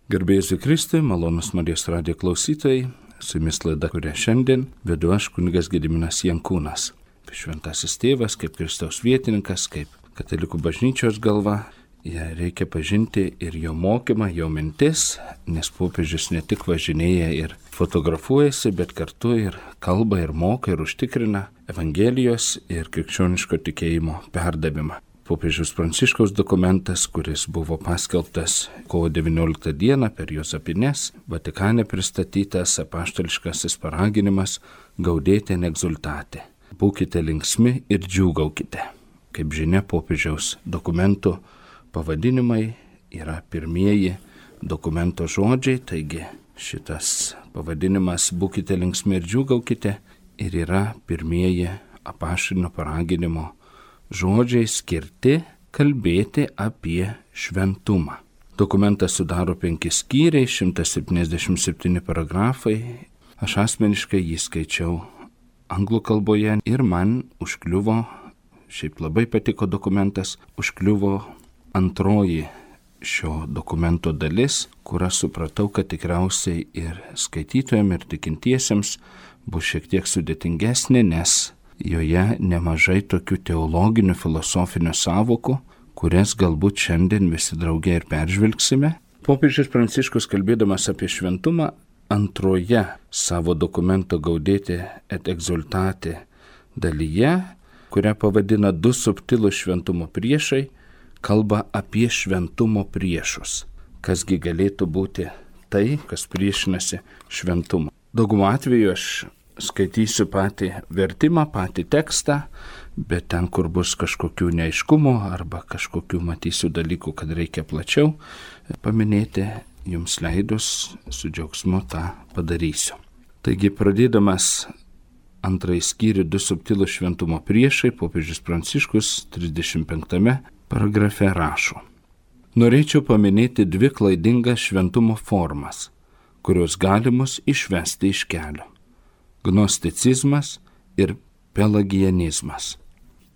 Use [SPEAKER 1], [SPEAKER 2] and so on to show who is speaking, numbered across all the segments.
[SPEAKER 1] Garbė Jėzui Kristui, malonus Marijos radijo klausytojai, su jumis laida, kurią šiandien vedu aš, kunigas Gediminas Jankūnas. Šventasis tėvas, kaip Kristaus vietininkas, kaip katalikų bažnyčios galva, reikia pažinti ir jo mokymą, jo mintis, nes popiežius ne tik važinėja ir fotografuojasi, bet kartu ir kalba, ir moka, ir užtikrina Evangelijos ir krikščioniško tikėjimo perdavimą. Popiežiaus Pranciškaus dokumentas, kuris buvo paskelbtas kovo 19 dieną per Jozapines, Vatikane pristatytas apaštališkasis paraginimas Gaudete in exsultate. Būkite linksmi ir džiūgaukite. Kaip žinia, popiežiaus dokumentų pavadinimai yra pirmieji dokumento žodžiai, taigi šitas pavadinimas Būkite linksmi ir džiūgaukite ir yra pirmieji apaštalinio paraginimo žodžiai skirti kalbėti apie šventumą. Dokumentas sudaro 5 skyriai, 177 paragrafai. Aš asmeniškai jį skaičiau anglų kalboje ir man užkliuvo, šiaip labai patiko dokumentas, užkliuvo antroji šio dokumento dalis, kur aš supratau, kad tikriausiai ir skaitytojams, ir tikintiesiems bus šiek tiek sudėtingesnė, nes joje nemažai tokių teologinių, filosofinių sąvokų, kurias galbūt šiandien visi drauge ir peržvelgsime. Popiežius Pranciškus, kalbėdamas apie šventumą, antroje savo dokumento Gaudete et exsultate dalyje, kurią pavadina 2 subtilūs šventumo priešai, kalba apie šventumo priešus. Kasgi galėtų būti tai, kas priešinasi šventumą. Daugumą atveju aš skaitysiu patį vertimą, patį tekstą, bet ten, kur bus kažkokių neaiškumų arba kažkokių matysiu dalykų, kad reikia plačiau paminėti, jums leidus su džiaugsmu tą padarysiu. Taigi, pradėdamas antrąjį skyrių 2 subtilūs šventumo priešai, popiežius Pranciškus 35 paragrafe rašo: Norėčiau paminėti 2 klaidingas šventumo formas, kurios gali mus išvesti iš kelio. Gnosticizmas ir pelagianizmas.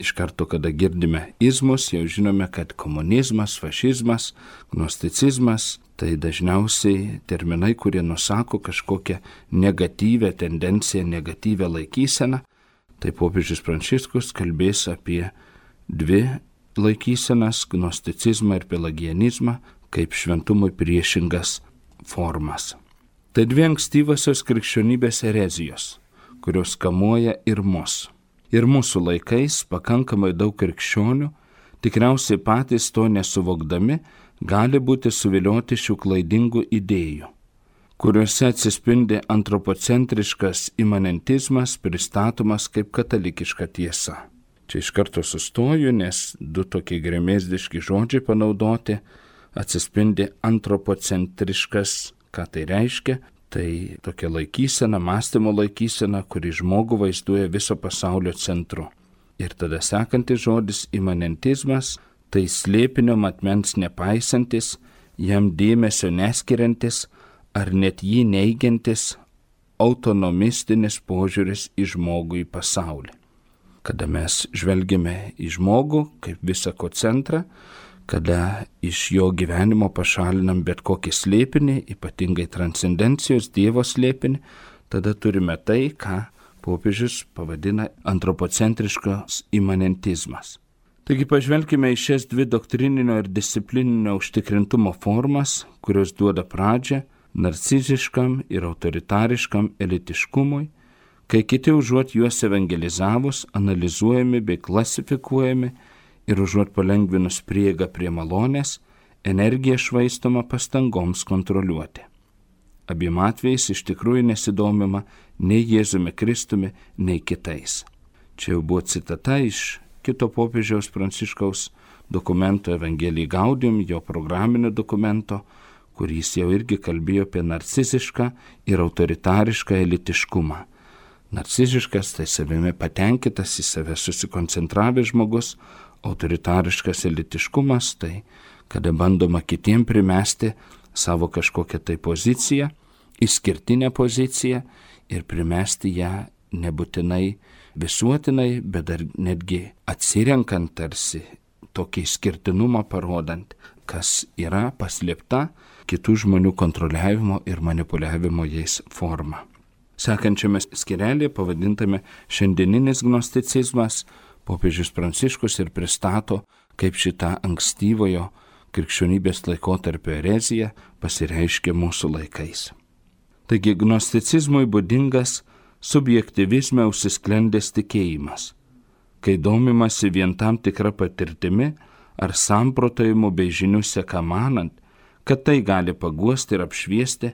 [SPEAKER 1] Iš karto, kada girdime izmus, jau žinome, kad komunizmas, fašizmas, gnosticizmas tai dažniausiai terminai, kurie nusako kažkokią negatyvę tendenciją, negatyvę laikyseną. Tai popiežius Pranciškus kalbės apie 2 laikysenas, gnosticizmą ir pelagianizmą, kaip šventumui priešingas formas. Tai 2 ankstyvosios krikščionybės erezijos, kurios kamuoja ir mus. Ir mūsų laikais pakankamai daug krikščionių, tikriausiai patys to nesuvokdami, gali būti suvilioti šių klaidingų idėjų, kuriuose atsispindi antropocentriškas imanentizmas pristatomas kaip katalikiška tiesa. Čia iš karto sustoju, nes 2 tokie gremėzdiški žodžiai panaudoti, atsispindi antropocentriškas. Ką tai reiškia? Tai tokia laikysena, mąstymo laikysena, kuri žmogų vaizduoja viso pasaulio centru. Ir tada sekantis žodis imanentizmas, tai slėpinio matmens nepaisantis, jam dėmesio neskiriantis ar net jį neigiantis autonomistinis požiūris į žmogų, į pasaulį. Kada mes žvelgiame į žmogų kaip visako centrą, kada iš jo gyvenimo pašalinam bet kokį slėpinį, ypatingai transcendencijos Dievo slėpinį, tada turime tai, ką popiežius pavadina antropocentriškas imanentizmas. Taigi pažvelkime į šias 2 doktrininio ir disciplininio užtikrintumo formas, kurios duoda pradžią narciziškam ir autoritariškam elitiškumui, kai kiti užuot juos evangelizavus, analizuojami bei klasifikuojami, ir užuot palengvinus prieigą prie malonės, energija švaistoma pastangoms kontroliuoti. Abiem atvejais iš tikrųjų nesidomima nei Jėzumi Kristumi, nei kitais. Čia jau buvo citata iš kito popiežiaus Pranciškaus dokumento Evangelii Gaudium, jo programinio dokumento, kuris jau irgi kalbėjo apie narcizišką ir autoritarišką elitiškumą. Narciziškas tai savimi patenkintas, į save susikoncentravęs žmogus, autoritariškas elitiškumas, tai kada bandoma kitiem primesti savo kažkokią tai poziciją, išskirtinę poziciją ir primesti ją nebūtinai visuotinai, bet dar netgi atsirenkant tarsi tokį išskirtinumą parodant, kas yra paslėpta kitų žmonių kontroliavimo ir manipuliavimo jais forma. Sekančiame skirelėje pavadintame Šiandieninis gnosticizmas popiežius Pranciškus ir pristato, kaip šita ankstyvojo krikščionybės laikotarpio erezija pasireiškia mūsų laikais. Taigi gnosticizmui būdingas subjektyvizme užsisklendęs tikėjimas, kai domimasi vien tam tikra patirtimi ar samprotavimu bei žinių seka manant, kad tai gali paguosti ir apšviesti,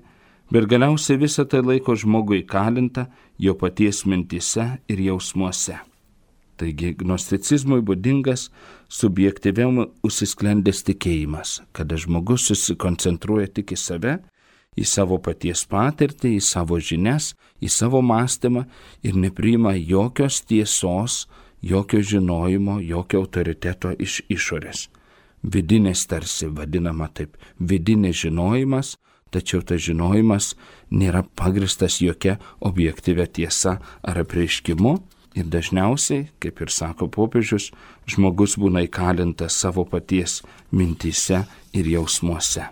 [SPEAKER 1] bet galiausiai visą tai laiko žmogų įkalintą jo paties mintyse ir jausmuose. Taigi gnosticizmui būdingas subjektyviam užsisklendęs tikėjimas, kada žmogus susikoncentruoja tik į save, į savo paties patirtį, į savo žinias, į savo mąstymą ir nepriima jokios tiesos, jokio žinojimo, jokio autoriteto iš išorės. Vidinis tarsi vadinama taip, vidinis žinojimas, tačiau tas žinojimas nėra pagristas jokia objektyvia tiesa ar apreiškimu ir dažniausiai, kaip ir sako popiežius, žmogus būna įkalintas savo paties mintyse ir jausmuose.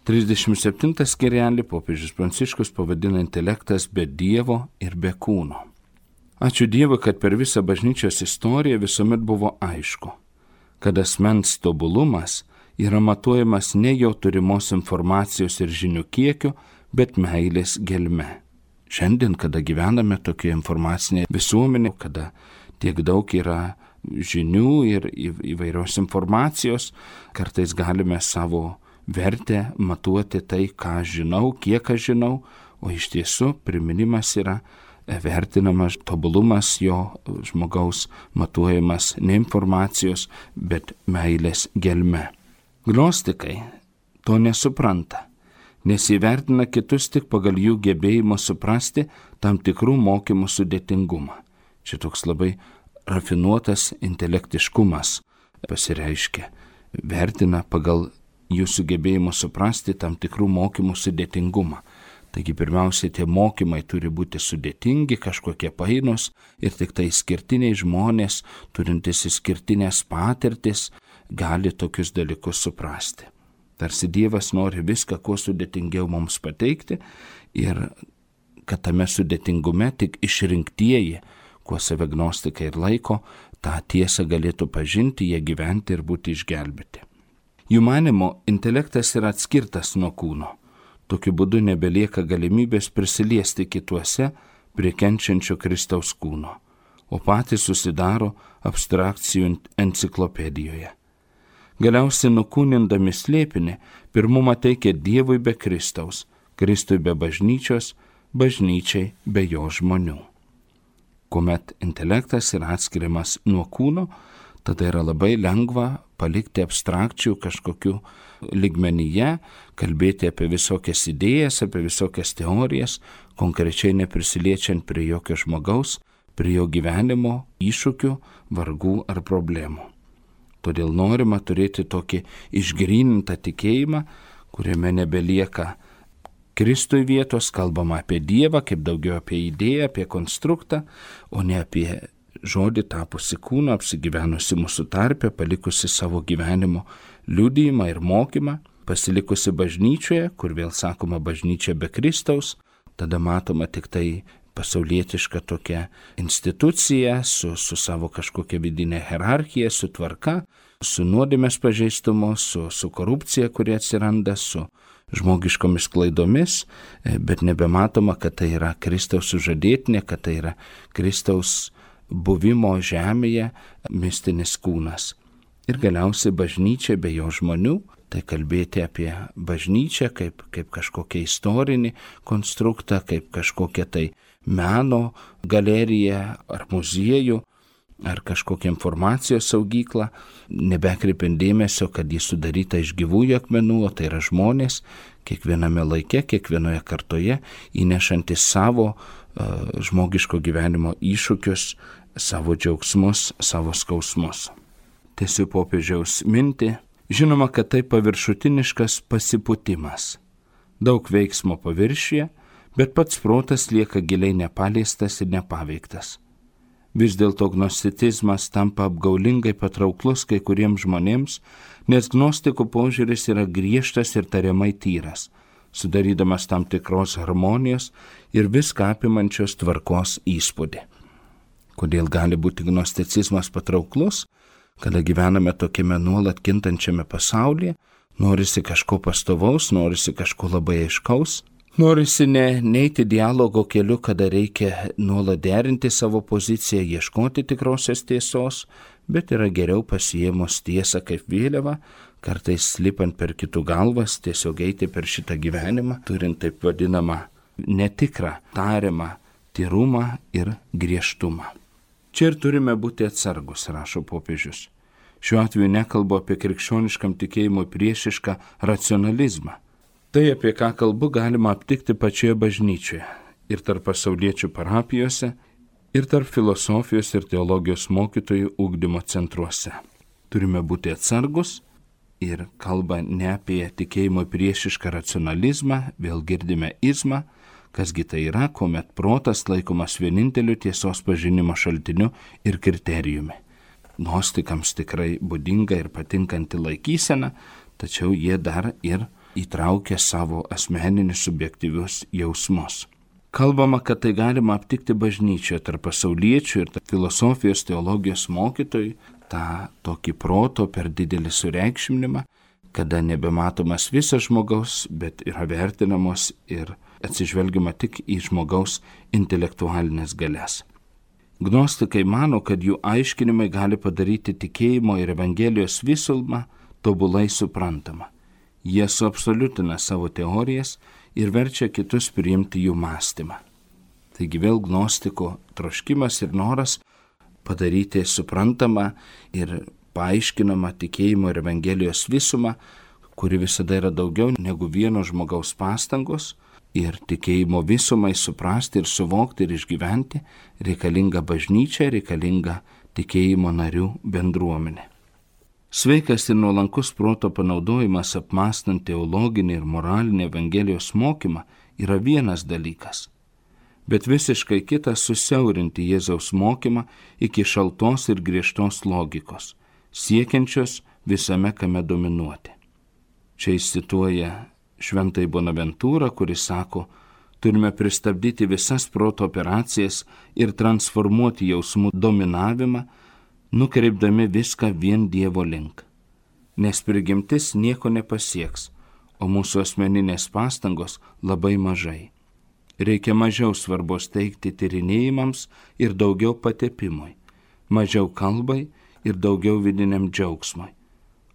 [SPEAKER 1] 37 skirelį popiežius Pranciškus pavadina intelektas be Dievo ir be kūno. Ačiū Dievui, kad per visą bažnyčios istoriją visuomet buvo aišku, kad asmens tobulumas yra matuojamas ne jo turimos informacijos ir žinių kiekiu, bet meilės gelme. Šiandien, kada gyvename tokioje informacinėje visuomenėje, kada tiek daug yra žinių ir įvairios informacijos, kartais galime savo vertę matuoti tai, ką žinau, kiek aš žinau, o iš tiesų priminimas yra vertinamas tobulumas jo žmogaus matuojamas ne informacijos, bet meilės gelme. Gnostikai to nesupranta, nes įvertina kitus tik pagal jų gebėjimą suprasti tam tikrų mokymų sudėtingumą. Čia toks labai rafinuotas intelektiškumas pasireiškia. Vertina pagal jų sugebėjimą suprasti tam tikrų mokymų sudėtingumą. Taigi pirmiausia, tie mokymai turi būti sudėtingi, kažkokie painus ir tik tai išskirtiniai žmonės, turintys išskirtinės patirtis, gali tokius dalykus suprasti. Tarsi Dievas nori viską kuo sudėtingiau mums pateikti ir kad tame sudėtingume tik išrinktieji, kuo save gnostikai ir laiko, tą tiesą galėtų pažinti, jie gyventi ir būti išgelbėti. Jų manymu, intelektas yra atskirtas nuo kūno. Tokiu būdu nebelieka galimybės prisiliesti kituose prie kenčiančio Kristaus kūno, o patys susidaro abstrakcijų enciklopedijoje. Galiausiai nukūnindami slėpinį, pirmumą teikia Dievui be Kristaus, Kristui be bažnyčios, bažnyčiai be jo žmonių. Kuomet intelektas yra atskiriamas nuo kūno, tada yra labai lengva palikti abstrakcijų kažkokių lygmenyje, kalbėti apie visokias idėjas, apie visokias teorijas, konkrečiai neprisiliečiant prie jokio žmogaus, prie jo gyvenimo, iššūkių, vargų ar problemų. Todėl norima turėti tokį išgrynintą tikėjimą, kuriame nebelieka Kristui vietos, kalbama apie Dievą, kaip daugiau apie idėją, apie konstruktą, o ne apie žodį tapusi kūną, apsigyvenusi mūsų tarpe, palikusi savo gyvenimo liudijimą ir mokymą, pasilikusi bažnyčioje, kur vėl sakoma bažnyčia be Kristaus, tada matoma tik tai pasaulietiška tokia institucija su savo kažkokia vidinė hierarchija, su tvarka, su nuodėmės pažeistumu, su korupcija, kuri atsiranda, su žmogiškomis klaidomis, bet nebematoma, kad tai yra Kristaus sužadėtinė, kad tai yra Kristaus buvimo žemėje mistinis kūnas. Ir galiausiai bažnyčia be jo žmonių, tai kalbėti apie bažnyčią kaip kažkokią istorinį konstruktą, kaip kažkokią tai meno galeriją ar muziejų, ar kažkokią informacijos saugyklą, nebekreipiant dėmesio, kad jis sudaryta iš gyvųjų akmenų, o tai yra žmonės, kiekviename laike, kiekvienoje kartoje, įnešantis savo žmogiško gyvenimo iššūkius, savo džiaugsmus, savo skausmus. Tęsiu popiežiaus mintį. Žinoma, kad tai paviršutiniškas pasipūtimas. Daug veiksmo paviršiuje, bet pats protas lieka giliai nepaliestas ir nepaveiktas. Vis dėlto gnosticizmas tampa apgaulingai patrauklus kai kuriems žmonėms, nes gnostikų požiūris yra griežtas ir tariamai tyras, sudarydamas tam tikros harmonijos ir viską apimančios tvarkos įspūdį. Kodėl gali būti gnosticizmas patrauklus? Kada gyvename tokiame nuolat kintančiame pasaulyje, norisi kažko pastovaus, norisi kažko labai aiškaus, norisi neiti dialogo keliu, kada reikia nuolat derinti savo poziciją, ieškoti tikrosios tiesos, bet yra geriau pasiėmus tiesą kaip vėliavą, kartais slipant per kitų galvas, tiesiog eiti per šitą gyvenimą, turint taip vadinamą netikrą, tariamą tyrumą ir griežtumą. Čia ir turime būti atsargus, rašo popiežius. Šiuo atveju nekalbu apie krikščioniškam tikėjimui priešišką racionalizmą. Tai, apie ką kalbu, galima aptikti pačioje bažnyčioje ir tarp pasauliečių parapijose, ir tarp filosofijos ir teologijos mokytojų ugdymo centruose. Turime būti atsargus ir kalba ne apie tikėjimui priešišką racionalizmą, vėl girdime izmą, kasgi tai yra, kuomet protas laikomas vieninteliu tiesos pažinimo šaltiniu ir kriterijumi. Gnostikams tikrai būdinga ir patinkanti laikysena, tačiau jie dar ir įtraukia savo asmeninius subjektyvius jausmus. Kalbama, kad tai galima aptikti bažnyčioje tarp pasauliečių ir tarp filosofijos teologijos mokytojų, tą tokį proto per didelį sureikšminimą, kada nebematomas visas žmogaus, bet yra vertinamos ir atsižvelgiama tik į žmogaus intelektualinės galias. Gnostikai mano, kad jų aiškinimai gali padaryti tikėjimo ir Evangelijos visumą tobulai suprantamą. Jie suabsoliutina savo teorijas ir verčia kitus priimti jų mąstymą. Taigi vėl gnostiko troškimas ir noras padaryti suprantamą ir paaiškinamą tikėjimo ir Evangelijos visumą, kuri visada yra daugiau negu vieno žmogaus pastangos, ir tikėjimo visumai suprasti ir suvokti ir išgyventi reikalinga bažnyčia, reikalinga tikėjimo narių bendruomenė. Sveikas ir nuolankus proto panaudojimas apmąstant teologinį ir moralinį Evangelijos mokymą yra vienas dalykas, bet visiškai kitas susiaurinti Jėzaus mokymą iki šaltos ir griežtos logikos, siekiančios visame kame dominuoti. Čia jis cituoja Šventąjį Bonaventūrą, kuris sako, turime pristabdyti visas proto operacijas ir transformuoti jausmų dominavimą, nukreipdami viską vien Dievo link. Nes prigimtis nieko nepasieks, o mūsų asmeninės pastangos labai mažai. Reikia mažiau svarbos teikti tyrinėjimams ir daugiau patepimui, mažiau kalbai ir daugiau vidiniam džiaugsmui,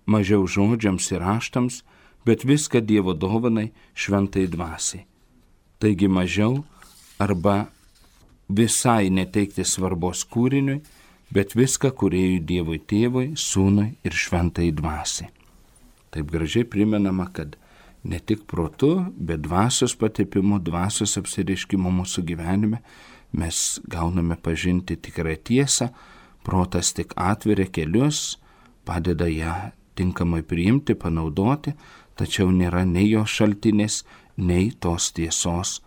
[SPEAKER 1] mažiau žodžiams ir raštams, bet viską Dievo dovanai šventai dvasiai. Taigi mažiau arba visai neteikti svarbos kūriniui, bet viską kūrėjui Dievui Tėvui, Sūnui ir šventai dvasiai. Taip gražiai primenama, kad ne tik protu, bet dvasios patepimu, dvasios apsireiškimu mūsų gyvenime mes gauname pažinti tikrą tiesą, protas tik atveria kelius, padeda ją tinkamai priimti, panaudoti, tačiau nėra nei jos šaltinis, nei tos tiesos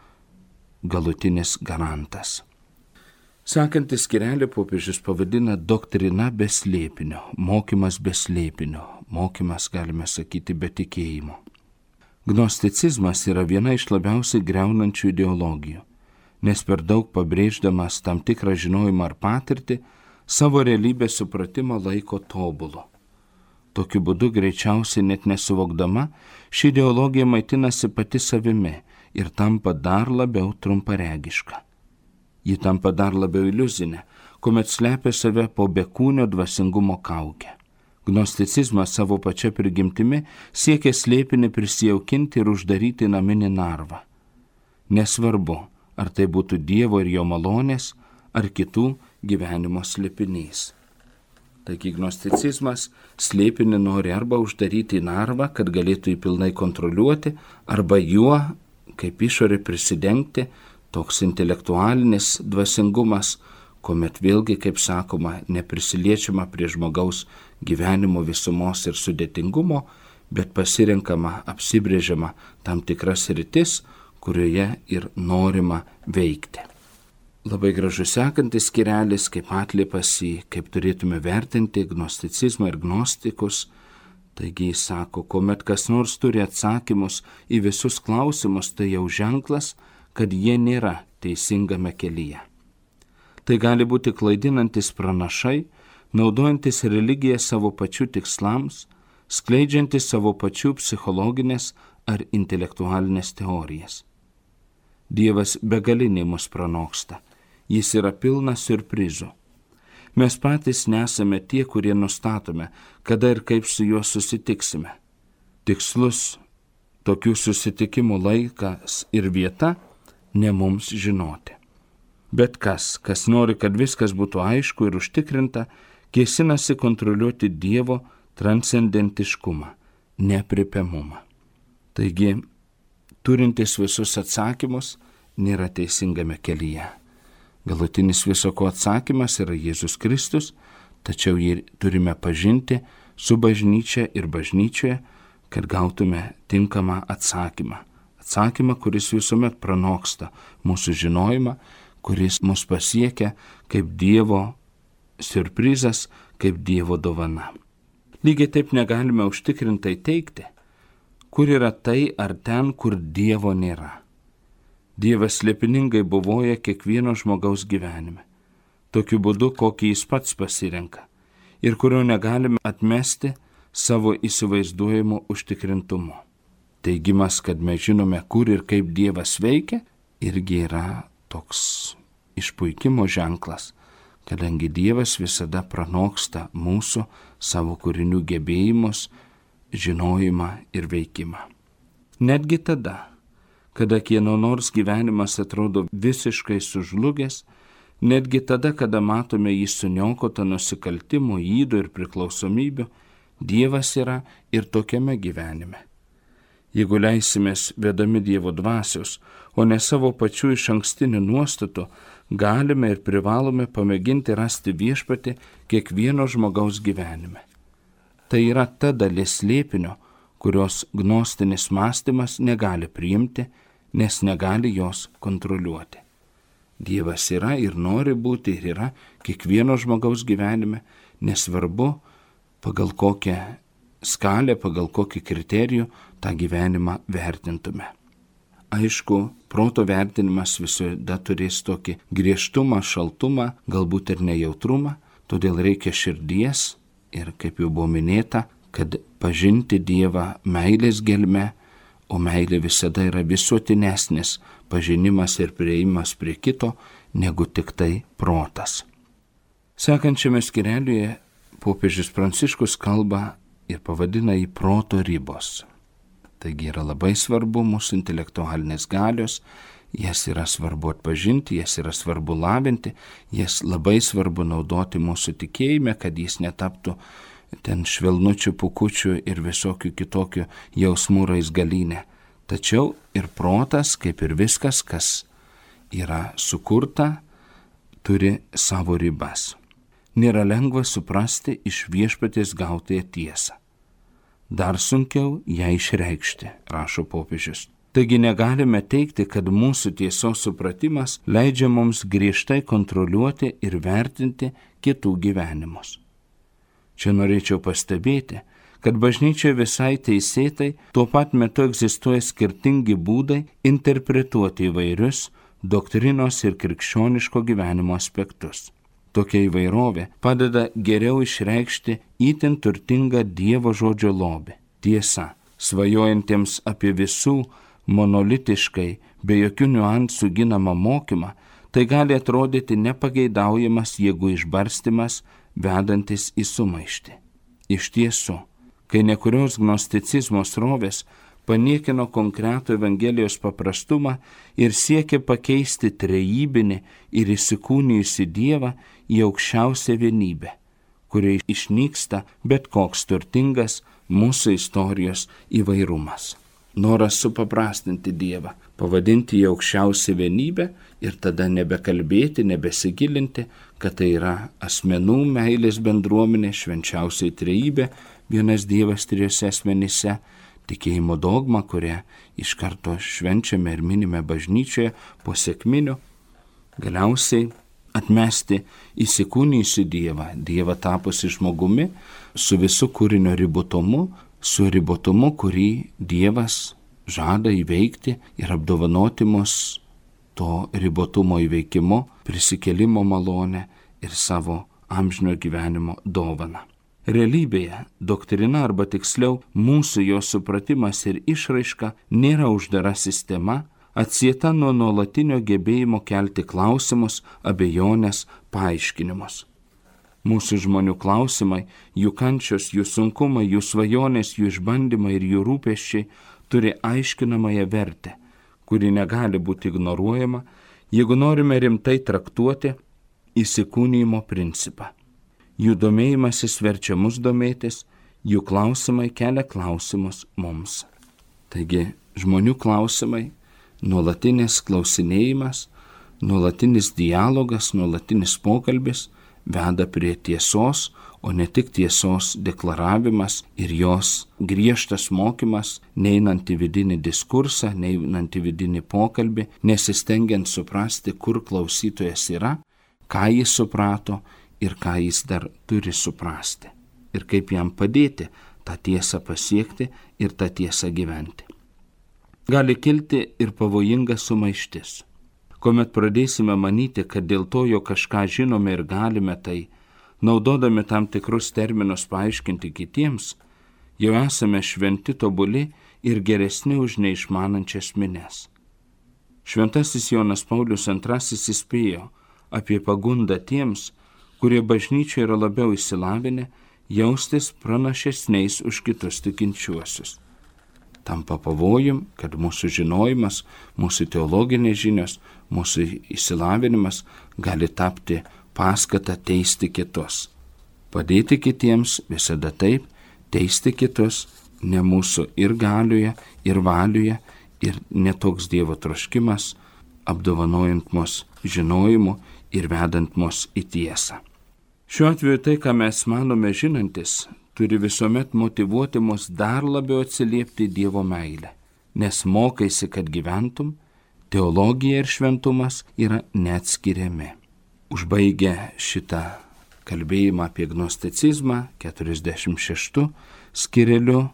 [SPEAKER 1] galutinis garantas. Sekantį skyrelį popiežius pavadina doktrina be slėpinio, mokymas be slėpinio, mokymas, galime sakyti, be tikėjimo. Gnosticizmas yra viena iš labiausiai griaunančių ideologijų, nes per daug pabrėždamas tam tikrą žinojimą ar patirtį, savo realybės supratimą laiko tobulu. Tokiu būdu greičiausiai net nesuvokdama, ši ideologija maitinasi pati savimi ir tampa dar labiau trumparegiška. Ji tampa dar labiau iliuzinė, kuomet slepia save po bekūnio dvasingumo kaukę. Gnosticizmas savo pačia prigimtimi siekia slėpinį prisijaukinti ir uždaryti naminį narvą. Nesvarbu, ar tai būtų Dievo ir jo malonės, ar kitų gyvenimo slėpinys. Taigi gnosticizmas slėpinį nori arba uždaryti į narvą, kad galėtų jį pilnai kontroliuoti, arba juo, kaip išorė prisidengti, toks intelektualinis dvasingumas, kuomet vėlgi, kaip sakoma, neprisiliečiama prie žmogaus gyvenimo visumos ir sudėtingumo, bet pasirenkama, apsibrėžiama tam tikras sritis, kurioje ir norima veikti. labai gražus sekantis skyrelis, kaip atliepas į, kaip turėtume vertinti gnosticizmą ir gnostikus. Taigi jis sako, kuomet kas nors turi atsakymus į visus klausimus, tai jau ženklas, kad jie nėra teisingame kelyje. Tai gali būti klaidinantis pranašai, naudojantis religiją savo pačių tikslams, skleidžiantis savo pačių psichologinės ar intelektualinės teorijas. Dievas begaliniai mus pranoksta, jis yra pilnas siurprizų. Mes patys nesame tie, kurie nustatome, kada ir kaip su juo susitiksime. Tikslus tokių susitikimų laikas ir vieta ne mums žinoti. Bet kas nori, kad viskas būtų aišku ir užtikrinta, kėsinasi kontroliuoti Dievo transcendentiškumą, neaprėpiamumą. Taigi, turintis visus atsakymus, nėra teisingame kelyje. Galutinis visoko atsakymas yra Jėzus Kristus, tačiau jį turime pažinti su bažnyčia ir bažnyčioje, kad gautume tinkamą atsakymą. Atsakymą, kuris visuomet pranoksta mūsų žinojimą, kuris mus pasiekia kaip Dievo siurprizas, kaip Dievo dovana. Lygiai taip negalime užtikrintai teigti, kur yra tai ar ten, kur Dievo nėra. Dievas slėpiningai buvoja kiekvieno žmogaus gyvenime, tokiu būdu, kokį jis pats pasirenka, ir kurio negalime atmesti savo įsivaizduojamu užtikrintumu. Teigimas, kad mes žinome, kur ir kaip Dievas veikia, irgi yra toks išpuikimo ženklas, kadangi Dievas visada pranoksta mūsų savo kūrinių gebėjimus, žinojimą ir veikimą. Netgi tada, kada kieno nors gyvenimas atrodo visiškai sužlugęs, netgi tada, kada matome jį suniokotą nusikaltimų, ydų ir priklausomybių, Dievas yra ir tokiame gyvenime. Jeigu leisimės vedami Dievo dvasios, o ne savo pačių išankstinių nuostatų, galime ir privalome pamėginti rasti viešpatį kiekvieno žmogaus gyvenime. Tai yra ta dalis slėpinio, kurios gnostinis mąstymas negali priimti, nes negali jos kontroliuoti. Dievas yra ir nori būti ir yra kiekvieno žmogaus gyvenime, nesvarbu, pagal kokią skalę, pagal kokį kriterijų tą gyvenimą vertintume. Aišku, proto vertinimas visada turės tokį griežtumą, šaltumą, galbūt ir nejautrumą, todėl reikia širdies ir, kaip jau buvo minėta, kad pažinti Dievą meilės gelme, o meilė visada yra visuotinesnis pažinimas ir prieimas prie kito, negu tik tai protas. Sekančiame skyrelyje popiežius Pranciškus kalba ir pavadina jį proto ribos. Taigi yra labai svarbu mūsų intelektualinės galios, jas yra svarbu atpažinti, jas yra svarbu lavinti, jas labai svarbu naudoti mūsų tikėjime, kad jis netaptų ten švelnučių, pukučių ir visokių kitokių jausmų raizgalynę. Tačiau ir protas, kaip ir viskas, kas yra sukurta, turi savo ribas. Nėra lengva suprasti iš viešpaties gautąją tiesą. Dar sunkiau ją išreikšti, rašo popiežius. Taigi negalime teigti, kad mūsų tiesos supratimas leidžia mums griežtai kontroliuoti ir vertinti kitų gyvenimus. Čia norėčiau pastebėti, kad bažnyčioje visai teisėtai tuo pat metu egzistuoja skirtingi būdai interpretuoti įvairius doktrinos ir krikščioniško gyvenimo aspektus. Tokia įvairovė padeda geriau išreikšti itin turtingą Dievo žodžio lobį. Tiesa, svajojantiems apie visų monolitiškai, be jokių niuansų ginamą mokymą, tai gali atrodyti nepageidaujamas jėgų išbarstymas, vedantis į sumaištį. Iš tiesų, kai nekurios gnosticizmo srovės paniekino konkretų Evangelijos paprastumą ir siekė pakeisti trejybinį ir įsikūnijusį Dievą į aukščiausią vienybę, kuriai išnyksta bet koks turtingas mūsų istorijos įvairumas. Noras supaprastinti Dievą, pavadinti jį aukščiausią vienybę ir tada nebekalbėti, nebesigilinti, kad tai yra asmenų meilės bendruomenė, švenčiausiai trejybė, vienas Dievas trijose asmenyse, tikėjimo dogma, kurią iš karto švenčiame ir minime bažnyčioje po sekminių. Galiausiai atmesti įsikūnijusį Dievą, Dievą tapusi žmogumi, su visu kūrinio ribotumu, su ribotumu, kurį Dievas žada įveikti ir apdovanoti mus to ribotumo įveikimu, prisikėlimo malonę ir savo amžino gyvenimo dovaną. Realybėje doktrina, arba tiksliau mūsų jos supratimas ir išraiška, nėra uždara sistema, atsieta nuo nuolatinio gebėjimo kelti klausimus, abejonės, paaiškinimus. Mūsų žmonių klausimai, jų kančios, jų sunkumai, jų svajonės, jų išbandymai ir jų rūpesčiai turi aiškinamąją vertę, kuri negali būti ignoruojama, jeigu norime rimtai traktuoti įsikūnijimo principą. Jų domėjimasis verčia mus domėtis, jų klausimai kelia klausimus mums. Taigi, žmonių klausimai, nuolatinis klausinėjimas, nuolatinis dialogas, nuolatinis pokalbis veda prie tiesos, o ne tik tiesos deklaravimas ir jos griežtas mokymas, neinant į vidinį diskursą, neinant į vidinį pokalbį, nesistengiant suprasti, kur klausytojas yra, ką jis suprato ir ką jis dar turi suprasti ir kaip jam padėti tą tiesą pasiekti ir tą tiesą gyventi. Gali kilti ir pavojinga sumaištis, kuomet pradėsime manyti, kad dėl to, jog kažką žinome ir galime tai, naudodami tam tikrus terminus paaiškinti kitiems, jau esame šventi, tobuli ir geresni už neišmanančias minias. Šventasis Jonas Paulius II įspėjo apie pagundą tiems, kurie bažnyčioje yra labiau išsilavinę, jaustis pranašesniais už kitus tikinčiuosius. Tampa pavojum, kad mūsų žinojimas, mūsų teologinės žinios, mūsų išsilavinimas gali tapti paskata teisti kitus. Padėti kitiems visada taip, teisti kitus ne mūsų ir galioje, ir valioje, ir netoks Dievo troškimas, apdovanojant mus žinojimu ir vedant mus į tiesą. Šiuo atveju tai, ką mes manome žinantis, turi visuomet motyvuoti mus dar labiau atsiliepti Dievo meilę, nes mokaisi, kad gyventum, teologija ir šventumas yra neatskiriami. Užbaigę šitą kalbėjimą apie gnosticizmą 46 skireliu,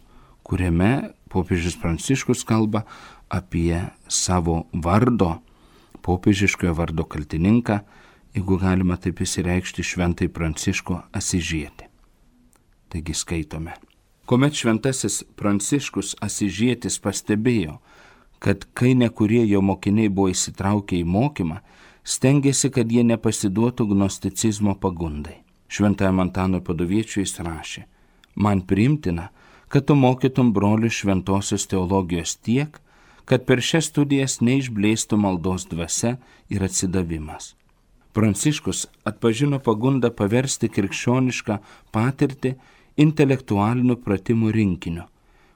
[SPEAKER 1] kuriame popiežius Pranciškus kalba apie savo vardo, popiežiškojo vardo kaltininką, jeigu galima taip įsireikšti, šventai Pranciškų Asižietį. Taigi skaitome. Kuomet šventasis Pranciškus Asižietis pastebėjo, kad kai nekurie jo mokiniai buvo įsitraukę į mokymą, stengėsi, kad jie nepasiduotų gnosticizmo pagundai. Šventajam Antanui Paduviečiui jis rašė: man priimtina, kad tu mokytum brolių šventosios teologijos tiek, kad per šias studijas neišblėstų maldos dvasia ir atsidavimas. Pranciškus atpažino pagundą paversti krikščionišką patirtį intelektualinių pratimų rinkiniu,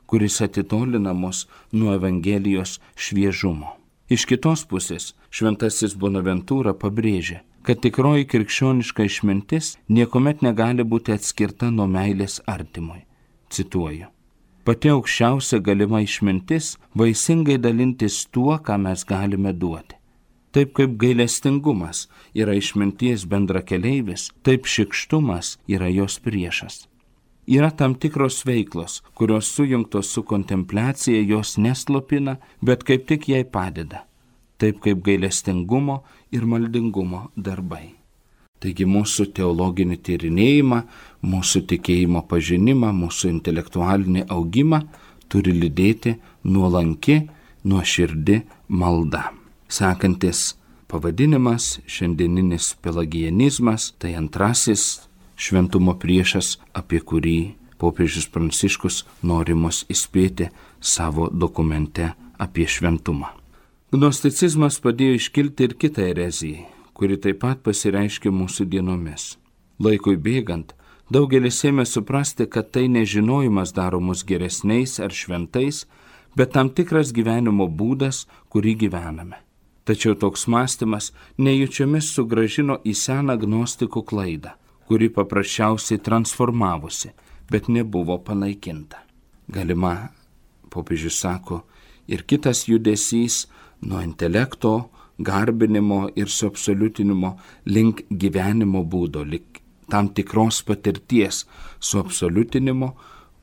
[SPEAKER 1] kuris atitolina mus nuo Evangelijos šviežumo. Iš kitos pusės šventasis Bonaventūra pabrėžė, kad tikroji krikščioniška išmintis niekuomet negali būti atskirta nuo meilės artimui. Cituoju: pati aukščiausia galima išmintis vaisingai dalintis tuo, ką mes galime duoti. Taip kaip gailestingumas yra išminties bendrakeleivis, taip šykštumas yra jos priešas. Yra tam tikros veiklos, kurios sujungtos su kontempliacija jos neslopina, bet kaip tik jai padeda. Taip kaip gailestingumo ir maldingumo darbai. Taigi mūsų teologinį tyrinėjimą, mūsų tikėjimo pažinimą, mūsų intelektualinį augimą turi lydėti nuolanki, nuoširdi malda. Sekantis pavadinimas, šiandieninis pelagianizmas, tai antrasis šventumo priešas, apie kurį popiežius Pranciškus nori mus įspėti savo dokumente apie šventumą. Gnosticizmas padėjo iškilti ir kitą ereziją, kuri taip pat pasireiškia mūsų dienomis. Laikui bėgant, daugelis ėmė suprasti, kad tai nežinojimas daro mus geresniais ar šventais, bet tam tikras gyvenimo būdas, kurį gyvename. Tačiau toks mąstymas nejučiomis sugrąžino į seną gnostikų klaidą, kuri paprasčiausiai transformavosi, bet nebuvo panaikinta. Galima, popiežius sako, ir kitas judesys nuo intelekto, garbinimo ir suabsoliutinimo link gyvenimo būdo, link tam tikros patirties suabsoliutinimo,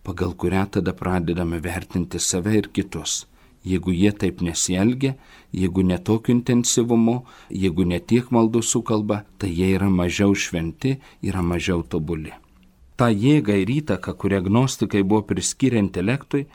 [SPEAKER 1] pagal kurią tada pradedame vertinti save ir kitus. Jeigu jie taip nesielgia, jeigu netokiu intensyvumu, jeigu netiek maldų sukalba, tai jie yra mažiau šventi, yra mažiau tobuli. Ta jėga ir įtaka, kurią gnostikai buvo priskyrę intelektui,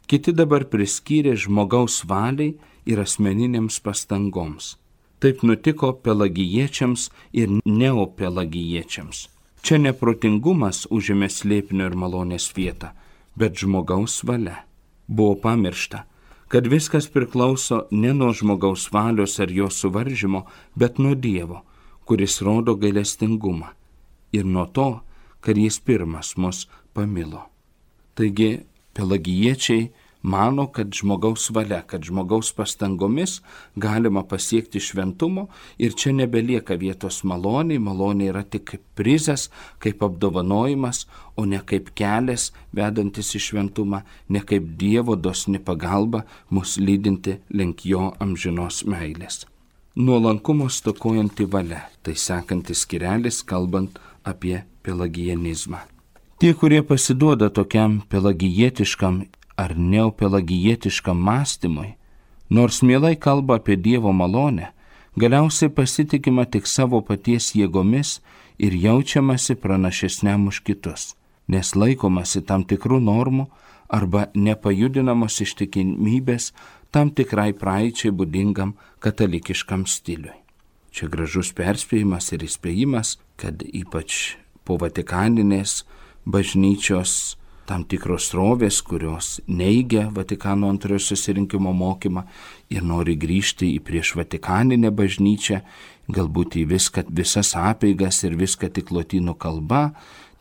[SPEAKER 1] kiti dabar priskyrė žmogaus valiai ir asmeninėms pastangoms. Taip nutiko pelagijiečiams ir neopelagijiečiams. Čia neprotingumas užėmė slėpinio ir malonės vietą, bet žmogaus valia. Buvo pamiršta, kad viskas priklauso ne nuo žmogaus valios ar jo suvaržymo, bet nuo Dievo, kuris rodo gailestingumą, ir nuo to, kad jis pirmas mus pamilo. Taigi, pelagijiečiai mano, kad žmogaus valia, kad žmogaus pastangomis galima pasiekti šventumo ir čia nebelieka vietos maloniai, malonė yra tik kaip prizas, kaip apdovanojimas, o ne kaip kelias vedantis į šventumą, ne kaip Dievo dosni pagalba mus lydinti link jo amžinos meilės. Nuolankumo stokojanti valia, tai sekantis skirelis kalbant apie pelagijanizmą. Tie, kurie pasiduoda tokiam pelagijietiškam ar neopelagijietiškam mąstymui, nors mielai kalba apie Dievo malonę, galiausiai pasitikima tik savo paties jėgomis ir jaučiamasi pranašesniam už kitus, nes laikomasi tam tikrų normų arba nepajudinamos ištikimybės tam tikrai praeičiai būdingam katalikiškam stiliui. Čia gražus perspėjimas ir įspėjimas, kad ypač po Vatikaninės bažnyčios tam tikros srovės, kurios neigia Vatikano antrojo susirinkimo mokymą ir nori grįžti į prieš Vatikaninę bažnyčią, galbūt į visas apeigas ir viską tik lotynų kalba,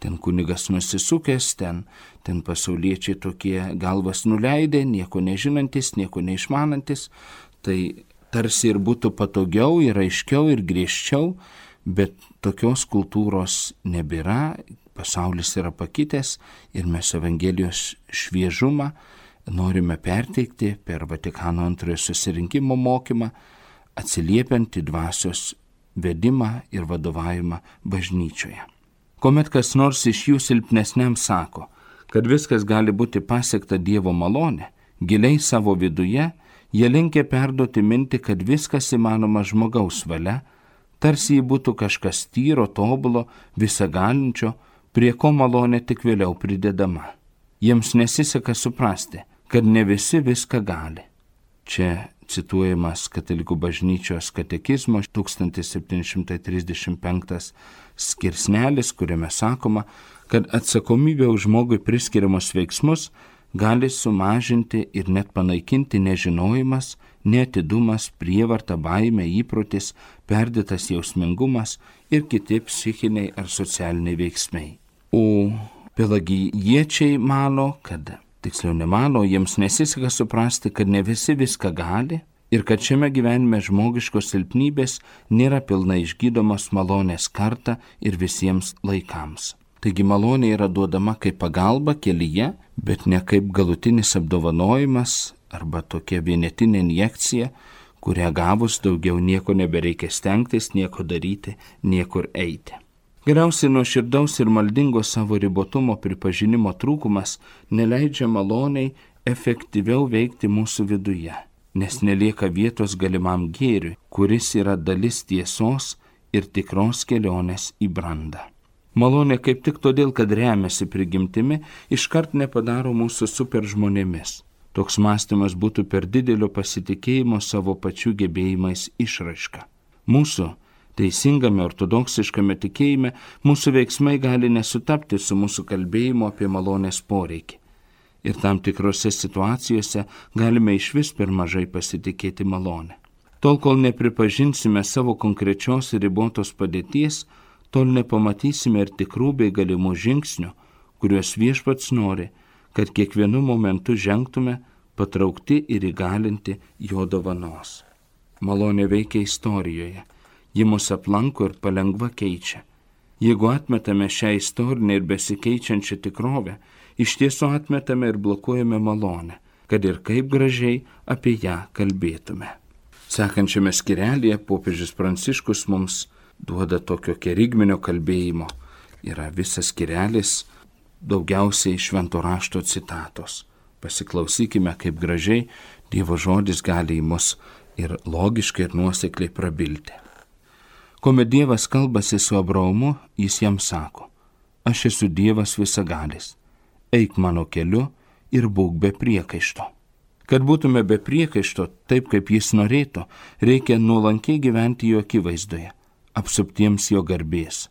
[SPEAKER 1] ten kunigas nusisukęs, ten pasauliečiai tokie galvas nuleidę, nieko nežinantis, nieko neišmanantis, tai tarsi ir būtų patogiau ir aiškiau ir griežčiau, bet tokios kultūros nebėra. Pasaulis yra pakitęs ir mes Evangelijos šviežumą norime perteikti per Vatikano antrojo susirinkimo mokymą, atsiliepiant į dvasios vedimą ir vadovavimą bažnyčioje. Kuomet kas nors iš jų silpnesniam sako, kad viskas gali būti pasiekta Dievo malonė, giliai savo viduje jie linkę perduoti mintį, kad viskas įmanoma žmogaus valia, tarsi jį būtų kažkas tyro, tobulo, visagalinčio, prie ko malonė tik vėliau pridedama. Jiems nesiseka suprasti, kad ne visi viską gali. Čia cituojamas Katalikų bažnyčios katekizmo 1735 skirsnelis, kuriame sakoma, kad atsakomybė už žmogui priskiriamus veiksmus gali sumažinti ir net panaikinti nežinojimas, neatidumas, prievarta, baimė, įprotis, perdėtas jausmingumas ir kiti psichiniai ar socialiniai veiksmai. O pelagijiečiai mano, tiksliau nemano, jiems nesiseka suprasti, kad ne visi viską gali ir kad šiame gyvenime žmogiškos silpnybės nėra pilnai išgydomos malonės kartą ir visiems laikams. Taigi malonė yra duodama kaip pagalba kelyje, bet ne kaip galutinis apdovanojimas arba tokia vienetinė injekcija, kurią gavus daugiau nieko nebereikia stengtis, nieko daryti, niekur eiti. Galiausiai nuoširdaus ir maldingo savo ribotumo pripažinimo trūkumas neleidžia maloniai efektyviau veikti mūsų viduje, nes nelieka vietos galimam gėriui, kuris yra dalis tiesos ir tikros kelionės į brandą. Malonė kaip tik todėl, kad remiasi prigimtimi, iškart nepadaro mūsų super žmonėmis. Toks mąstymas būtų per didelio pasitikėjimo savo pačių gebėjimais išraiška. Mūsų teisingame ortodoksiškame tikėjime mūsų veiksmai gali nesutapti su mūsų kalbėjimu apie malonės poreikį. Ir tam tikrose situacijose galime išvis per mažai pasitikėti malonę. Tol, kol nepripažinsime savo konkrečios ir ribotos padėties, tol nepamatysime ir tikrų bei galimų žingsnių, kuriuos Viešpats nori, kad kiekvienu momentu žengtume patraukti ir įgalinti jo dovanos. Malonė veikia istorijoje. Ji mus aplanko ir palengva keičia. Jeigu atmetame šią istorinę ir besikeičiančią tikrovę, iš tiesų atmetame ir blokuojame malonę, kad ir kaip gražiai apie ją kalbėtume. Sekančiame skyrelyje popiežius Pranciškus mums duoda tokio kerigminio kalbėjimo. Yra visas skyrelis, daugiausiai švento rašto citatos. Pasiklausykime, kaip gražiai Dievo žodis gali į mus ir logiškai ir nuosekliai prabilti. Kuomet Dievas kalbasi su Abraomu, jis jam sako: aš esu Dievas visagalis, eik mano keliu ir būk be priekaišto. Kad būtume be priekaišto, taip kaip jis norėtų, reikia nuolankiai gyventi jo akivaizdoje, apsuptiems jo garbės.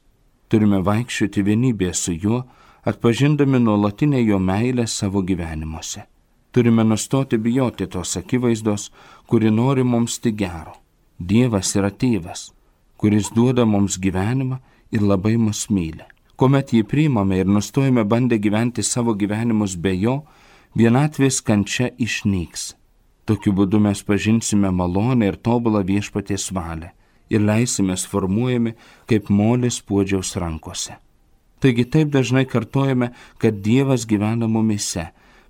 [SPEAKER 1] Turime vaikščioti vienybėje su juo, atpažindami nuolatinę jo meilę savo gyvenimuose. Turime nustoti bijoti tos akivaizdos, kuri nori mums tik gero. Dievas yra tėvas, kuris duoda mums gyvenimą ir labai mus myli. Kuomet jį priimame ir nustojame bandę gyventi savo gyvenimus be jo, vienatvės kančia išnyks. Tokiu būdu mes pažinsime malonę ir tobulą viešpaties valią ir leisimės formuojami kaip molis puodžiaus rankose. Taigi taip dažnai kartojame, kad Dievas gyvena mumyse,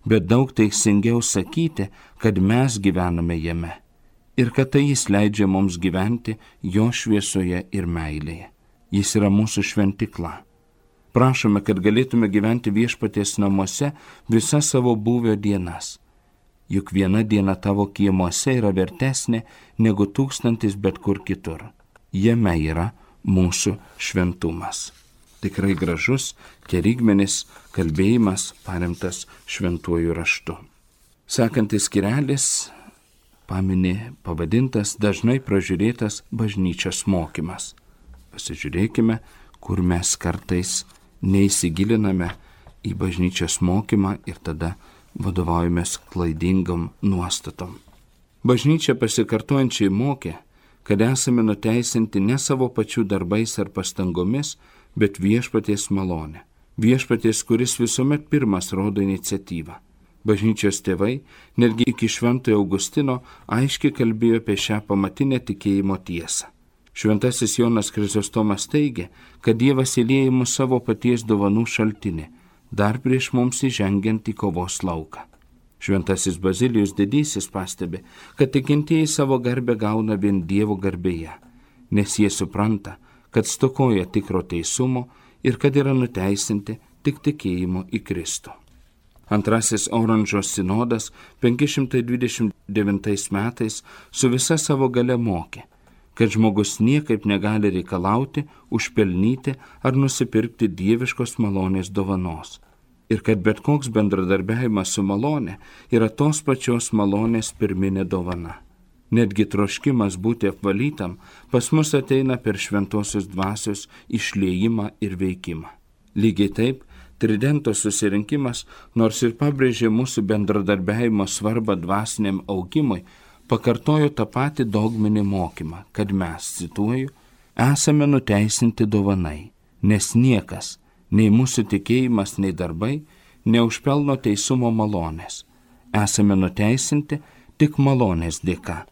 [SPEAKER 1] bet daug teisingiau sakyti, kad mes gyvename jame ir kad tai jis leidžia mums gyventi jo šviesoje ir meilėje. Jis yra mūsų šventykla. Prašome, kad galėtume gyventi viešpaties namuose visas savo būvio dienas. Juk viena diena tavo kiemuose yra vertesnė negu 1000 bet kur kitur. Jame yra mūsų šventumas. Tikrai gražus, kerigmenis kalbėjimas paremtas šventuoju raštu. Sekantis skyrelis pavadintas dažnai pražiūrėtas bažnyčios mokymas. Pasižiūrėkime, kur mes kartais neįsigiliname į bažnyčios mokymą ir tada vadovaujamės klaidingom nuostatom. Bažnyčia pasikartojančiai mokė, kad esame nuteisinti ne savo pačių darbais ar pastangomis, bet viešpaties malonė. Viešpaties, kuris visuomet pirmas rodo iniciatyvą. Bažnyčios tėvai, netgi iki Šventojo Augustino, aiškiai kalbėjo apie šią pamatinę tikėjimo tiesą. Šventasis Jonas Krizostomas teigia, kad Dievas įlieja į mus savo paties dovanų šaltinį, dar prieš mums įžengiant į kovos lauką. Šventasis Bazilijus Didysis pastebi, kad tikintieji savo garbę gauna vien Dievo garbėje, nes jie supranta, kad stokoja tikro teisumo ir kad yra nuteisinti tik tikėjimu į Kristų. Antrasis Oranžo sinodas 529 metais su visa savo galia mokė, kad žmogus niekaip negali reikalauti, užpelnyti ar nusipirkti dieviškos malonės dovanos. Ir kad bet koks bendradarbiavimas su malonė yra tos pačios malonės pirminė dovana. Netgi troškimas būti apvalytam pas mus ateina per šventosios dvasios išliejimą ir veikimą. Lygiai taip, Tridento susirinkimas, nors ir pabrėžė mūsų bendradarbiavimo svarbą dvasiniam augimui, pakartojo tą patį dogminį mokymą, kad mes, cituoju, esame nuteisinti dovanai, nes niekas, nei mūsų tikėjimas, nei darbai, neužpelno teisumo malonės. Esame nuteisinti tik malonės dėka,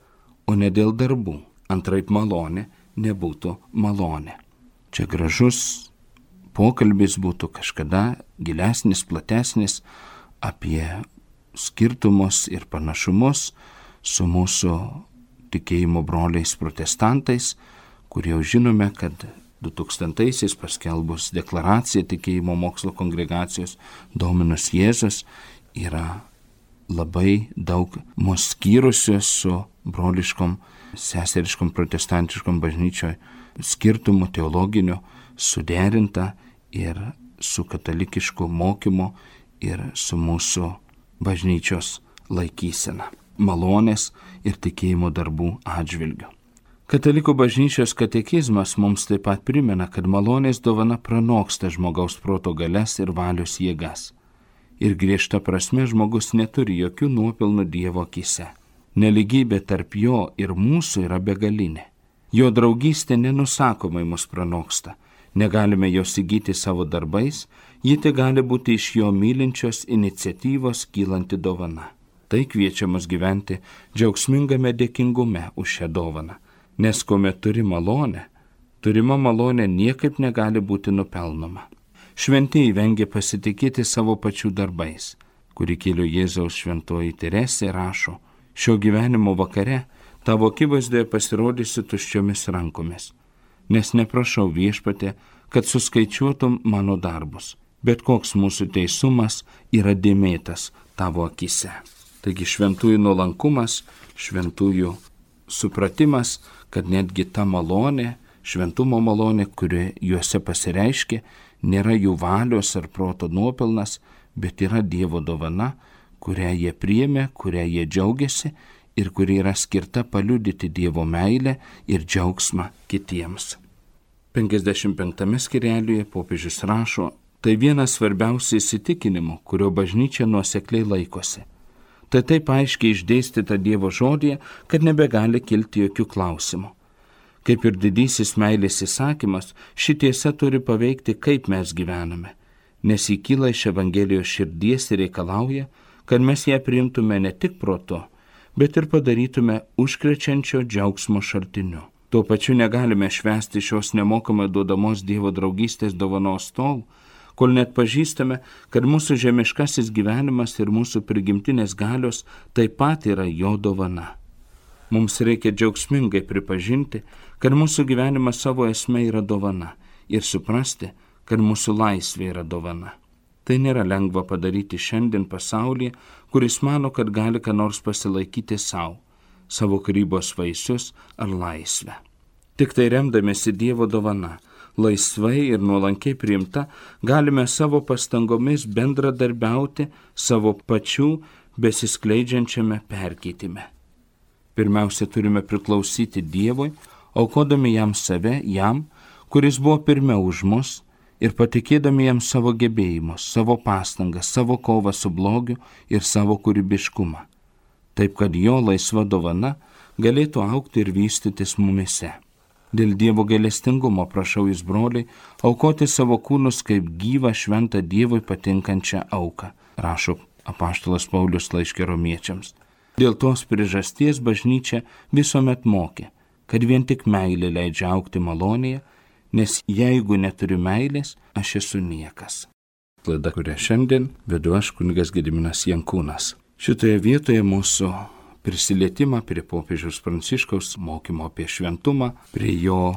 [SPEAKER 1] o ne dėl darbų. Antraip malonė nebūtų malonė. Čia gražus pokalbis būtų kažkada gilesnis, platesnis apie skirtumus ir panašumus su mūsų tikėjimo broliais protestantais, kurie jau žinome, kad 2000-aisiais paskelbus deklaraciją tikėjimo mokslo kongregacijos Dominus Jėzus yra labai daug mus skyrusios su broliškom, seseriškom, protestantiškom bažnyčioje skirtumų teologiniu suderinta ir su katalikišku mokymu ir su mūsų bažnyčios laikysena, malonės ir tikėjimo darbų atžvilgiu. Katalikų bažnyčios katekizmas mums taip pat primena, kad malonės dovana pranoksta žmogaus proto galias ir valios jėgas. Ir griežta prasme žmogus neturi jokių nuopelnų Dievo akyse. Neligybė tarp jo ir mūsų yra begalinė. Jo draugystė nenusakomai mus pranoksta. Negalime jos įgyti savo darbais, ji tik gali būti iš jo mylinčios iniciatyvos kylanti dovana. Tai kviečia mus gyventi džiaugsmingame dėkingume už šią dovaną, nes kuomet turi malonę, turima malonė niekaip negali būti nupelnoma. Šventieji vengia pasitikėti savo pačių darbais, kuri kėlė Jėzaus šventoji Teresė rašo, šio gyvenimo vakare tavo akivaizdoje pasirodysiu tuščiomis rankomis, nes neprašau Viešpatie, kad suskaičiuotum mano darbus, bet koks mūsų teisumas yra dėmėtas tavo akise. Taigi šventųjų nuolankumas, šventųjų supratimas, kad netgi ta malonė, šventumo malonė, kuri juose pasireiškia, nėra jų valios ar proto nuopelnas, bet yra Dievo dovana, kurią jie priėmė, kurią jie džiaugiasi ir kuri yra skirta paliudyti Dievo meilę ir džiaugsmą kitiems. 55 skyrelyje popiežius rašo, tai vienas svarbiausių įsitikinimų, kurio bažnyčia nuosekliai laikosi. Tai taip aiškiai išdėstyta Dievo žodyje, kad nebegali kilti jokių klausimų. Kaip ir didysis meilės įsakymas, ši tiesa turi paveikti, kaip mes gyvename, nes ji kyla iš Evangelijos širdies ir reikalauja, kad mes ją priimtume ne tik protu, bet ir padarytume užkrečiančio džiaugsmo šaltiniu. Tuo pačiu negalime švęsti šios nemokamai duodamos Dievo draugystės dovanos tol, kol net pažįstame, kad mūsų žemiškasis gyvenimas ir mūsų prigimtinės galios taip pat yra jo dovana. Mums reikia džiaugsmingai pripažinti, kad mūsų gyvenimas savo esme yra dovana ir suprasti, kad mūsų laisvė yra dovana. Tai nėra lengva padaryti šiandien pasaulyje, kuris mano, kad gali ką nors pasilaikyti savo kūrybos vaisius ar laisvę. Tik tai remdamėsi Dievo dovana, laisvai ir nuolankiai priimta, galime savo pastangomis bendradarbiauti savo pačių besiskleidžiančiame perkeitime. Pirmiausia, turime priklausyti Dievui, aukodami jam save, jam, kuris buvo pirmiau už mus, ir patikėdami jam savo gebėjimus, savo pastangas, savo kovą su blogiu ir savo kūrybiškumą, taip kad jo laisva dovana galėtų augti ir vystytis mumise. Dėl Dievo gailestingumo prašau jūs, broliai, aukoti savo kūnus kaip gyvą šventą Dievui patinkančią auką, rašo apaštalas Paulius laiške Romiečiams. Dėl tos priežasties bažnyčia visuomet mokė, kad vien tik meilė leidžia augti malonėje, nes jeigu neturiu meilės, aš esu niekas. Laida, kurią šiandien vedu aš, kunigas Gediminas Jankūnas. Šitoje vietoje mūsų prisilietimą prie popiežiaus Pranciškaus mokymo apie šventumą, prie jo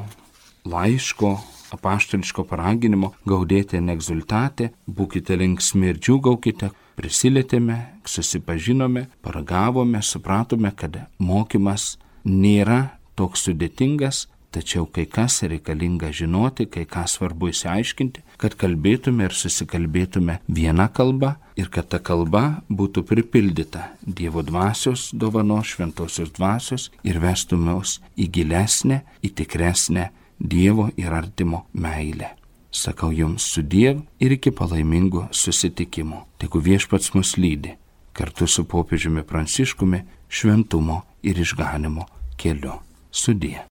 [SPEAKER 1] laiško, apaštališko paraginimo gaudėti en exultate, būkite linksmi ir džiūgaukite, prisilietėme, susipažinome, paragavome, supratome, kad mokymas nėra toks sudėtingas, tačiau kai kas reikalinga žinoti, kai ką svarbu įsiaiškinti, kad kalbėtume ir susikalbėtume viena kalba ir kad ta kalba būtų pripildyta Dievo dvasios dovanos, šventosios dvasios ir vestume mus į gilesnę, į tikresnę Dievo ir artimo meilę. Sakau jums sudiev ir iki palaimingų susitikimų. Tegu Viešpats mus lydi kartu su popiežiumi Pranciškumi šventumo ir išganimo keliu. Sudie.